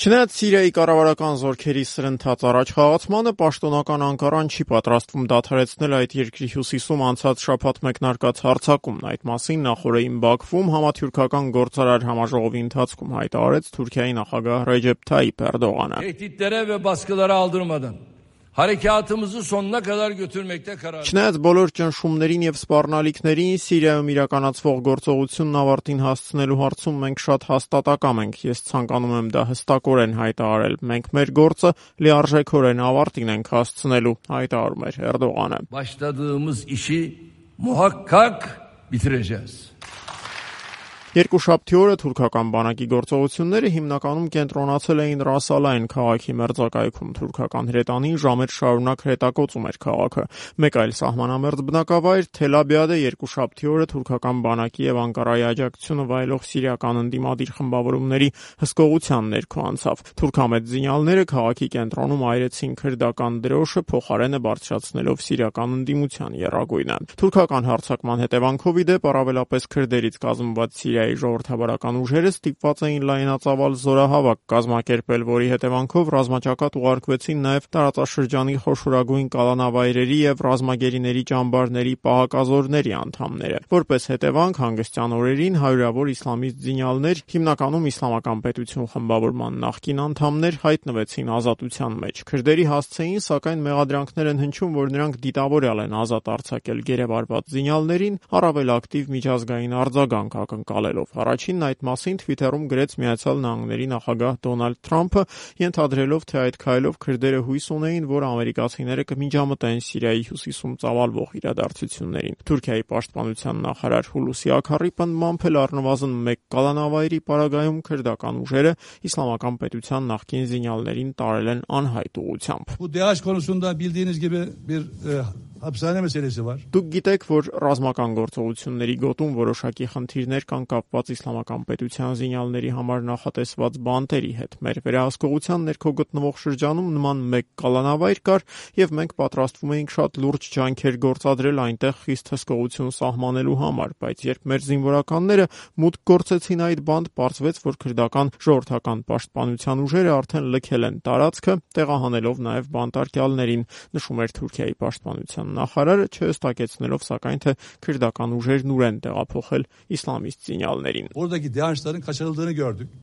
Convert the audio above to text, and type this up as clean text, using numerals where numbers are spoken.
Չնայած Սիրիայի կառավարական զորքերի սրընթաց առաջխաղացմանը, պաշտոնական Անկարան չի պատրաստվում դադարեցնել այդ երկրի հյուսիսում անցած շաբաթ մեկնարկած հարձակումն։ Այդ մասին նախօրեին Բաքվում համաթյուրքական գործարար համաժողովի ընթացքում հայտարարեց Թուրքիայի նախագահ Ռեջեփ Թայիփ Էրդողանը։ Tehditlere ve baskılara aldırmadan harekatımızı sonuna kadar götürmekte karar. Չնայած բոլոր ճնշումներին եւ սպառնալիքներին Սիրիայում իրականացվող գործողությունն ավարտին հասցնելու հարցում մենք շատ հաստատակամ ենք։ Ես ցանկանում եմ դա հստակորեն հայտարարել։ Մենք մեր գործը լիարժեքորեն ավարտին ենք հասցնելու, հայտարարում էր Էրդողանը։ Başladığımız işi muhakkak bitireceğiz. Երկուշաբթի օրը թուրքական բանակի գործողությունները հիմնականում կենտրոնացել էին Ռասալայն քաղաքի մերձակայքում։ Թուրքական հրետանին ժամեր շարունակ հրետակոծում էր քաղաքը։ Մեկ այլ սահմանամերձ բնակավայր Թելաբիադը երկուշաբթի օրը թուրքական բանակի եւ Անկարայի աջակցությունը վայելող սիրիական ընդդիմադիր խմբավորումների հսկողության ներքո անցավ։ Թուրքամետ զինյալները քաղաքի կենտրոնում այրեցին քրդական դրոշը, փոխարենը բարձրացնելով սիրիական ընդդիմության եռագույնը։ Թուրքական հարձակման հետևանքով ի դեպ առավելապես քրդերից կազմված Սիրիայի ժողովրդավարական ուժերը ստիպված էին լայնածավալ զորահավաք կազմակերպել, որի հետևանքով ռազմաճակատ ուղարկվեցին նաև տարածաշրջանի խոշորագույն կալանավայրերի եւ ռազմագերիների ճամբարների պահակազորների անդամները։ Որպես հետևանք, հանգստյան օրերին հարյուրավոր իսլամիստ զինյալներ, հիմնականում Իսլամական պետություն խմբավորման նախկին անդամներ, հայտնվեցին ազատության մեջ։ Քրդերի հասցեին, սակայն մեղադրանքներ են հնչում, որ նրանք դիտավորյալ են ազատ արձակել գերեվարված զինյալներին, առավել ակտիվ միջազգային արձագանք ակնկալելով։ Առաջինն այդ մասին Թվիթերում գրեց Միացյալ Նահանգների նախագահ Դոնալդ Թրամփը, ենթադրելով, թե այդ քայլով քրդերը հույս ունեին, որ ամերիկացիները կմիջամտեն Սիրիայի հյուսիսում ծավալվող իրադարձություններին։ Թուրքիայի պաշտպանության նախարար Հուլուսի Աքարի պնդմամբ էլ առնվազն մեկ կալանավայրի պարագայում քրդական ուժերը Իսլամական պետության նախկին զինյալներին տարել են անհայտ ուղղությամբ։ Bu DH konusunda bildiğiniz gibi bir hapishane meselesi var. Դուք գիտեք, որ ռազմական գործողությունների գոտում որոշակի խնդիրներ կան կապված Իսլամական պետության զինյալների համար նախատեսված բանտերի հետ։ Մեր վերահսկողության ներքո գտնվող շրջանում նման մեկ կալանավայր կար եւ մենք պատրաստվում էինք շատ լուրջ ջանքեր գործադրել այնտեղ խիստ հսկողություն սահմանելու համար, բայց երբ մեր զինվորականները մուտք գործեցին այդ բանտ, պարզվեց, որ քրդական ժողովրդական պաշտպանության ուժերը արդեն լքել են տարածքը, տեղահանելով նաեւ բանտարկյալներին, նշում էր Թուրքիայի պաշտպանության նախարարը, չհստակեցնելով սակայն թե քրդական ուժերն ուր են տեղափոխել իսլամիստ զինյալներին։ Oradaki DH'ların kaçırıldığını gördük.